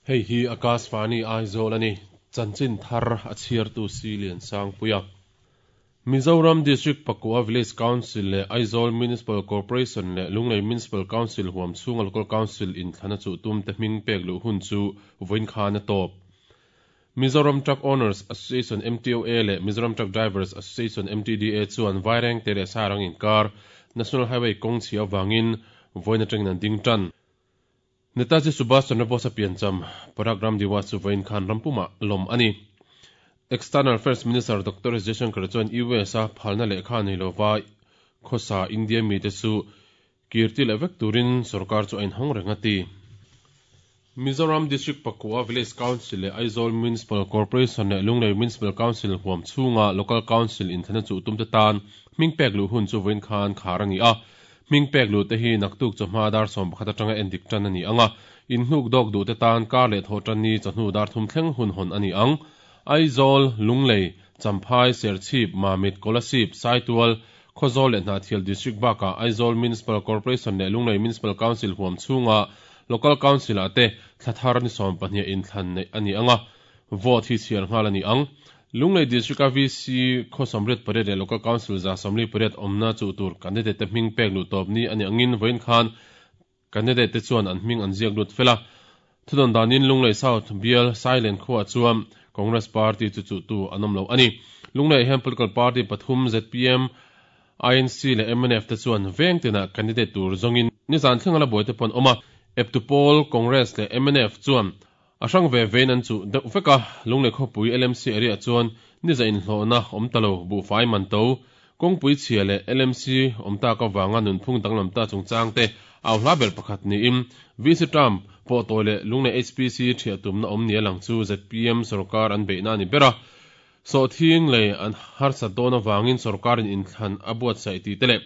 Hei hi Akashvani Aizawl a ni. Chanchin thar a chhiartu si Liansangpuia. Mizoram District Pakua Village Council leh Aizawl Municipal Corporation leh Lunglei Municipal Council huam chhunga Local Council inthlana chuh tumte hming pek luh hun chu vawiin khan a tawp. Mizoram Truck Owners Association, MTOA, leh Mizoram Truck Drivers Association, MTDA, chuan Vairengte leh Sairang inkar National Highway kawng chhia avangin vawiin atangin an ding tan. Netaji Subhas Chandra Bose-a piancham Parag Ram Diwas chu vawiin khan ram pumah lawm a ni. External Affairs Minister Doctor S Jaishankar chuan US-a phalna lehkha nei lova khawsa India mite chu kirti leh vek turin sorkar chu a inhawng reng a ti. Mizoram District Pakua Village Council leh Aizawl Municipal Corporation leh Lunglei Municipal Council huam chhunga Local Council inthlana chuh tumte tan hming pek luh hun chu vawiin khan khar a ni a. Hming pek luh te hi naktuk chawhma dar 11 atanga endik tan a ni ang a, inhnuk dawk duh te tan kar leh thawh tan ni chawhnu dar thum thleng hun hawn a ni ang. Aizawl, Lunglei, Champhai, Serchhip, Mamit, Kolasib, Saitual, Khawzawl leh Hnahthial District bakah Aizawl Municipal Corporation leh Lunglei Municipal Council huam chhunga Local Council ah te thla thar ni 12 inthlan neih a ni ang a, vote hi chhiar nghal a ni ang. Lunglei District-a VC khaw 88 leh Local Council 78 awmna chuh tur candidate te hming pek luh tawp ni a nih angin vawiin khan candidate te chuan an hming an ziak lut fel a. Thudawn danin Lunglei South bial Sailen khuaah chuan Congress Party chu chuhtu an awm lo a ni. Lunglei hian political party pathum zpm, INC leh mnf te chuan veng tinah candidate tur zawngin nizan thleng a la buai te pawh an awm a. Eptu pawl Congress leh mnf chuan A hrang ve vein an chuh deuh vek a, Lunglei khawpui LMC area chuan niza inhlawhna awm ta lo, buhfai man to, kawngpui chhia leh LMC awm tak avanga nunphung danglam ta chungchang te au hla ber pakhat niin VC term pawh tawi leh Lunglei HPC thiah tumna awm nia lang chu zpm sorkar an beihna a ni ber a. Sawhthing lei an harsat dawn avangin sorkarin inthlan a buatsaih tih te leh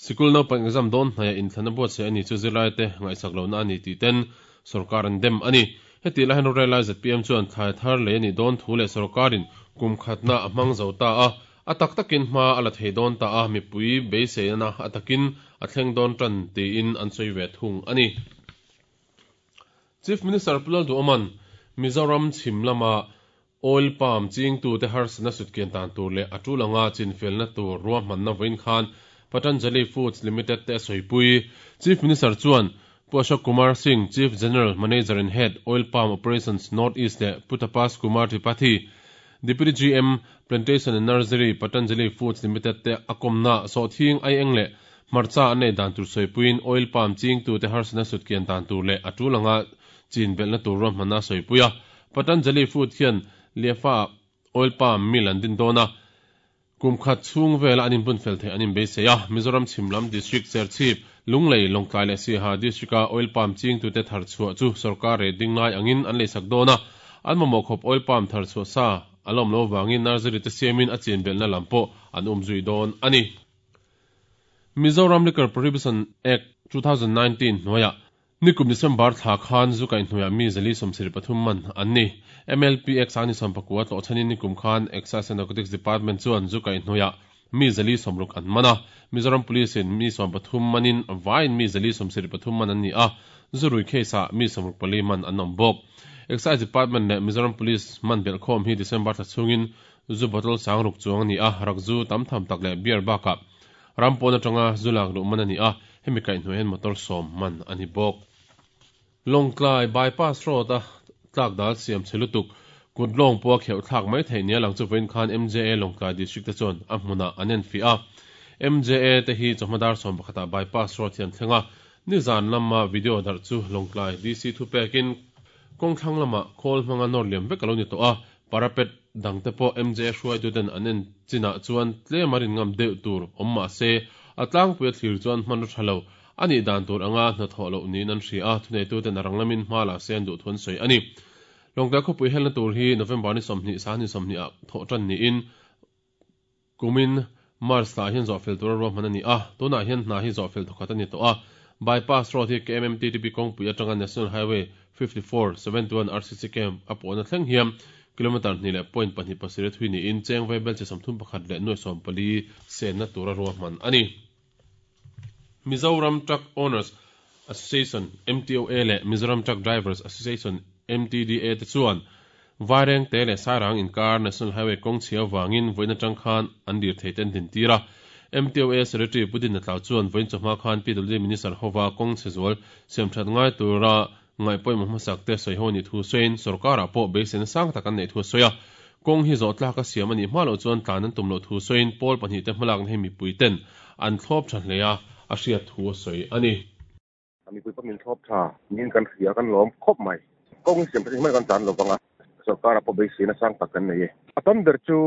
sikul naupang exam dawn hnaia inthlan a buatsaih a ni chu zirlaite ngaihsak lohna a ni tih ten sorkar an dem a ni. Hetih lai hian rorel-lai zpm chuan thlai thar lei a nih dawn thu leh sorkarin kum khatna a hmang zo ta a, a tak takin hma a la thei dawn ta a, mipui beiseina a takin a thleng dawn tan tiin an sawi ve thung a ni. Chief Minister Pu Lalduhawma'n Mizoram chhim lama Oil palm chingtute harsatna sutkian dan tur leh a tul anga chinfelna tur ruahmanna vawiin khan Patanjali Foods Limited te a sawipui. Chief Minister chuan Pu Ashok Kumar Singh, Chief General Manager and Head, Oil Palm Operations, North East leh Pu Tapas Kumar Tripathi, Deputy GM, Plantation and Nursery, Patanjali Foods Limited te a kawmna sawhthing aieng leh hmarcha an nei dan tur sawipuiin oil palm chingtute harsatna sutkian dan tur leh a tul anga chin belhna tur ruahmanna a sawipui a. Patanjali Food hian Liafa-ah oil palm mill an din dawn a, kum khat chhung vela an inbun fel theih an inbeisei a. Mizoram chhim lam district Serchhip, Lunglei, Lawngtlai leh Siaha district-a oil palm chingtute thar chhuah chu sorkar rate ding ngai angin an leisak dawn a, an mamawh khawp oil palm thar chhuah sa a la awm lo avangin nursery te siamin a chin belhna lam pawh an umzui dawn a ni. Mizoram Liquor Prohibition Act, 2019 hnuaiah Nikum December thla khan zu kaihhnuaiah mi 173 man an ni. MLPX a ni 19 tlawh chhanin nikum khan Excise and Narcotics Department chuan zu kaihhnuaiah mi 160 an man a. Mizoram Police in mi 13 manin vaiin mi 173 man an ni a, zu rui case ah mi 64 man an awm bawk. Excise Department leh Mizoram Police man belhkhawm hi December thla chhungin zu bottle 6000 chuang a ni a, rakzu tam tham tak leh beer bakah Ram pawn atanga zu lak luh man a ni a, hemi kaihhnuai hian motor sawm man a ni bawk. Lawngtlai bypass road a tlak dal siam chhe lutuk, kut lawng pawh a kheuh thlak mai theih nia lang chu vawiin khan MJA Lawngtlai District te chuan a hmunah an enfiah a. MJA te hi chawhma dar 11 ah bypass road hi an thleng a, nizan lama video darh chu Lawngtlai DC thupekin kawngthlang lamah khawl hmanga nawr liam vek a lo ni tawh a, Parapet dangte pawh MJA hruaituten an en chinah chuan tlem a rin ngam deuh tur awm mah se, a tlangpui a thlir chuan hmanraw tha lo a nih dan tur anga hnathawh loh niin an hria a, thuneituten a rang lamin hma la se an duh thu an sawi a ni. Lawngtlai khawpui helna tur hi November ni 20 sang ni 20 ah thawh tan niin kumin March thla ah hian zawhfel tura ruahman a ni a, tunah hian hna hi zawhfel thawkhat a ni tawh a. Bypass road hi KMMTTP kawngpui atanga National Highway 54, 71 RCC Camp a pawhna thleng hian kilometre hnih leh point pahnih pasarih a thui niin cheng vaibelchhe 31 leh nuai 14 senna tura ruahman a ni. Mizoram Truck Owners Association, MTOA, leh Mizoram Truck Drivers Association, MTDA te chuan Vairengte leh Sairang inkar National Highway kawng chhia avangin vawiin atang khan an lirthei te an dintir a. MTOA Secretary Pu Dinna Tlau chuan vawiin chawhma khan PWD Minister hova kawng chhe zual siamthat ngai tura ngaih pawimawh hmasak te sawi ho anih thu sawiin sorkarah pawh beiseina sang tak an neih thu a sawi a. Kawng hi zawh tlak a siam anih hma loh chuan tlan an tum loh thu sawiin pawl pahnihte hmalakna hi mipui ten an thlawp tha hle a, a hriat thu a sawi a ni. Mipui pawh min thlawp tha niin kan hria, kan lawm khawp mai. Kawng hi siam that hi hmai kan tlan lo vang a, sorkarah pawh beiseina sang tak kan nei e. A tam ber chu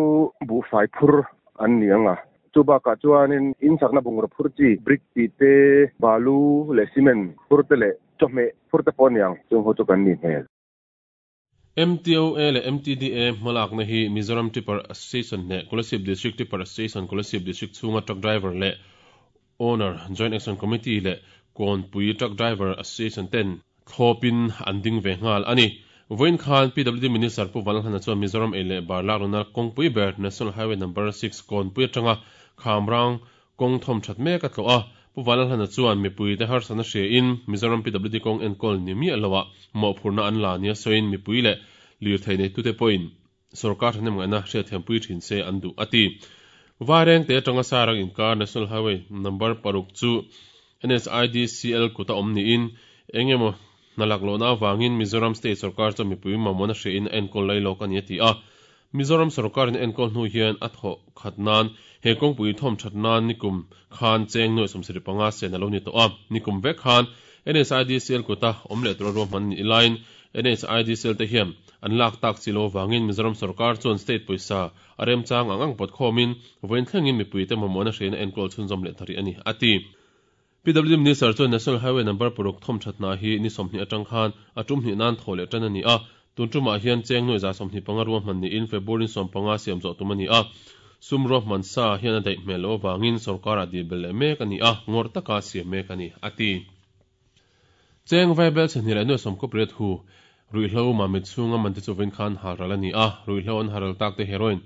buhfai phur an ni ang a, chu bakah chuanin insakna bungraw phur chi brick tih te, balu leh cement phur te leh chawhmeh phur te pawh a ni ang, chung ho chu kan nih hmel. MTOA leh MTDA hmalakna hi Mizoram Tipper Association leh Kolasib District Tipper Association Kolasib District chhunga Truck Driver leh Owner Joint Action Committee leh Kawnpui Truck Driver Association ten thlawpin an ding ve nghal a ni. Vawiin khan PWD Minister Pu Vanlalhana chuan Mizoram ei leh bar laklawna kawngpui ber National Highway Number 6 Kawnpui atanga Khamrang Kawng thawm that mek a tlawh a, Pu Vanlalhlana chuan mipuite harsatna hriain Mizoram PWD kawng enkawl ni miah loah mawhphurhna an la nia sawiin mipui leh lirthei neitute pawhin sorkar thahnemngaihna hriatthiampui thin se an duh a ti. Vairengte atanga Sairang inkar National Highway Number paruk chu NHIDCL kuta awm niin eng emaw hna laklohna avangin Mizoram State sorkar chuan mipui mamawhna hriain a enkawl lai lawk a ni a ti a. Mizoram sorkarin a enkawl hnu hian a thawh khat nan he kawngpui thawm that nan nikum khan cheng nuaih 75 sen a lo ni tawh a. Nikum vek khan NHIDCL kuta awm leh tura ruahman nih laiin NHIDCL te hian an lak tak chi lo avangin Mizoram sorkar chuan state pawisa a remchang ang ang pawt khawmin vawiin thlengin mipuite mamawhna hriain a enkawl chhunzawm leh ta rih a ni, a ti. PWD Minister chuan National Highway number paruk thawm that hna hi ni 20 atang khan a tum hnih nan thaw leh tan a ni a, tun tumah hian cheng nuaih 25 ruahman niin February 15 siam zawh tum a ni a, sum ruahman sa hian a daih hmel loh avangin sorkarah dil belh leh mek a ni a, ngawrh taka siam mek a ni, a ti. Cheng vaibel chhe hnih leh nuaih 18 hu ruihhlo mamit chhunga man te chu vawiin khan halral a ni a, ruihhlo an halral tak te heroin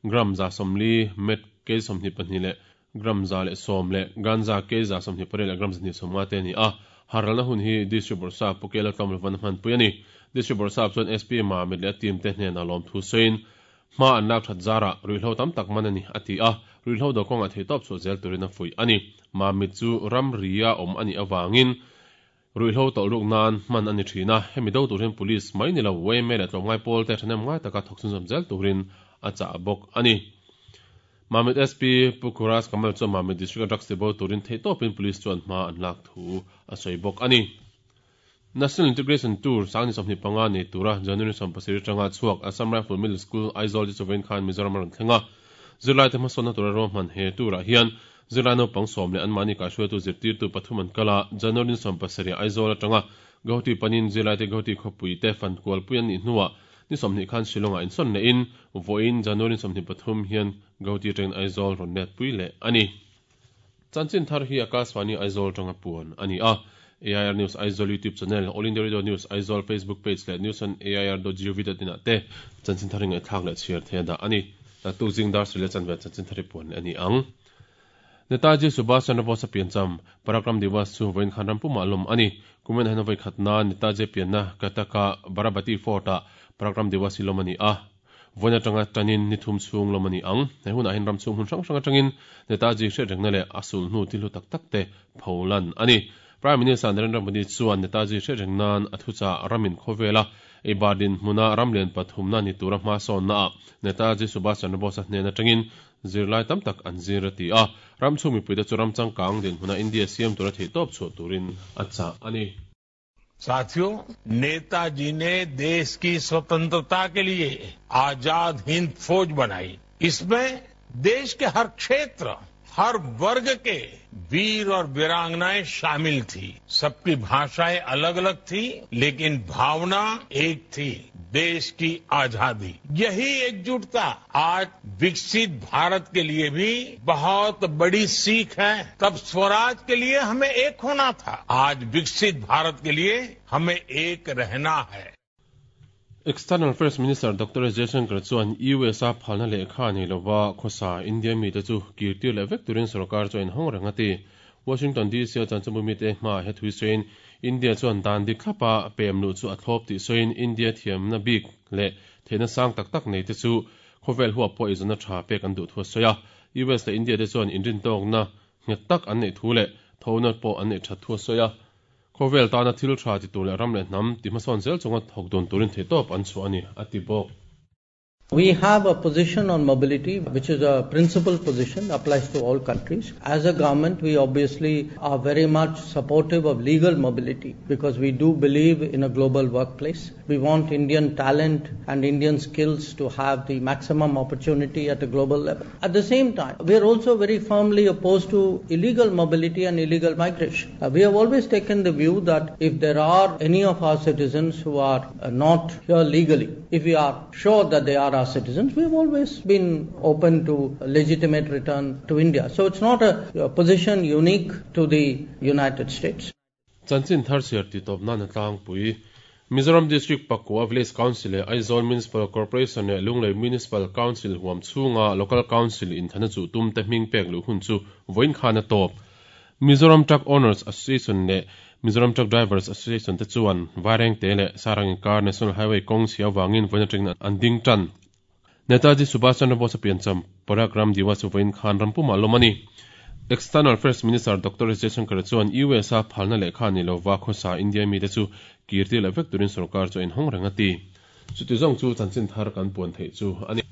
gram 140, meth kg 22 leh gram 110 leh ganja kg 28 leh gram 150 te a ni a, haralna hun hi District Bawrhsap Pu Kela Tlawmlovan a hmanpui a ni. District Bawrhsap chuan SP Mamit leh a team te hnenah lawmthu sawiin, hma an lak that zarah ruihhlo tam tak man a ni, a ti a, ruihhlo do kawngah theihtawp chhuah zel turin a fuih a ni. Mamit chu ramria awm a nih avangin ruihhlo tawlh ruk nan hman a ni thin a, hemi do tur hian Police mai ni lo yma leh tlawmngai pawl te thahnem ngai taka thawk chhunzawm zel turin a chah bawk a ni. Mamit SP Pu Khuras Kamal chuan Mamit District-a drugs ti bo turin theihtawpin Police chuan hma an lak thu a sawi bawk a ni. National Integration Tour sangni 25 nei tura January 17 atanga chhuak Assam Rifle Middle School Aizawl te chu vawiin khan Mizoram a rawn thleng a. Zirlaite hmasawnna tura ruahman he tour-ah hian Zirlai naupang sawm leh anmahni kaihhruaitu zirtirtu pathum an kal a, January 17 Aizawl atanga Guwahati panin zirlaite Guwahati khawpui te fan kualpui an nih hnuah ni 20 khan Shillong-ah insawn lehin vawiin January 23 hian Guwahati atangin Aizawl rawn letpui leh a ni. Chanchin thar hi Akashvani Aizawl atanga puan a ni a, AIR News Aizawl YouTube channel, All India Radio News Aizawl Facebook page leh news on air dot gov dot in ah te chanchin thar hi ngaihthlak leh chhiar thei a dah a ni. Naktuk zing dar sarih leh chanve chanchin thar hi puan leh a ni ang. Netaji Subhash Chandra Bose-a piancham, Parakram Diwas chu vawiin khan ram pumah lawm a ni. Kumin hian vawi khat nan Netaji pianna Cuttack-a Barabati Fort-ah Parakram Diwas hi lawm a ni a. Vawiin atanga tanin ni thum chhung lawm a ni ang. He hunah hian ram chhung hmun hrang hrang atangin Netaji hriatrengna leh a sulhnu thil hlu tak tak te pholan a ni. Prime Minister Narendra Modi chuan Netaji hriatreng nan a thuchah ramin khawvela eibar dinhmuna ram lian pathumna ni tura hmasawnnaah Netaji Subhash Chandra Bose-a hnen atangin zirlai tam tak an zir a ti a. Ram chhung mipuite chu ram changkang dinhmuna India siam tura theihtawp chhuah turin a chah a ni. साथियों नेताजी ने देश की स्वतंत्रता के लिए आजाद हिंद फौज बनाई इसमें देश के हर क्षेत्र हर वर्ग के वीर और वीरांगनाएं शामिल थी सबकी भाषाएं अलग अलग थी लेकिन भावना एक थी देश की आजादी यही एकजुटता आज विकसित भारत के लिए भी बहुत बड़ी सीख है तब स्वराज के लिए हमें एक होना था आज विकसित भारत के लिए हमें एक रहना है External Affairs Minister Doctor S Jaishankar chuan US-a phalna lehkha nei lova khawsa India mite chu kirtir leh vek turin sorkar chu a inhawng reng a ti. Washington DC-a chanchinbu mite hmaah he thui sawiin India chuan dan dik thlapa pem luh chu a thlawp tih sawiin India thiamna bik leh theihna sang tak tak nei te chu khawvel huap pawh eizawnna tha pek an duh thu a sawi a. US leh India te chuan inrintawkna nghet tak an neih thu leh thona pawh an neih that thu a sawi a. Khawvel tana thil tha ti tur leh ram leh hnam ti hmasawn zel chunga thawk dun turin theihtawp an chhuah a ni, a ti bawk. We have a position on mobility which is a principal position applies to all countries. As a government we obviously are very much supportive of legal mobility because we do believe in a global workplace. We want Indian talent and Indian skills to have the maximum opportunity at a global level. At the same time, we are also very firmly opposed to illegal mobility and illegal migration. Uh, we have always taken the view that if there are any of our citizens who are uh, not here legally, if we are sure that they are our citizens, we have always been open to legitimate return to India. So it's not a, a position unique to the United States. Chanchin thar chhiar tih tawp nan a tlangpui. Mizoram District pakua Village Council leh Aizawl Municipal Corporation leh Lunglei Municipal Council huam chhunga Local Council inthana chuh tum te hming pek luh hun chu vawiin khan a tawp. Mizoram Truck Owners Association leh Mizoram Truck Drivers Association te chuan Vairengte leh Sarang inkar National Highway kawng chhia avangin vawiin atangin an ding tan. Netaji Subhash Chandra Bose-a piancham Parag Ram Diwas chu vawiin khan ram pumah lawm a ni. External Affairs Minister Doctor S Jaishankar chuan US-a phalna lehkha ni lova khawsa India mite chu kirtir leh vek turin sorkar chu a inhawng reng a ti. Chuti zawng chu chanchin thar kan puan theih chu a ni.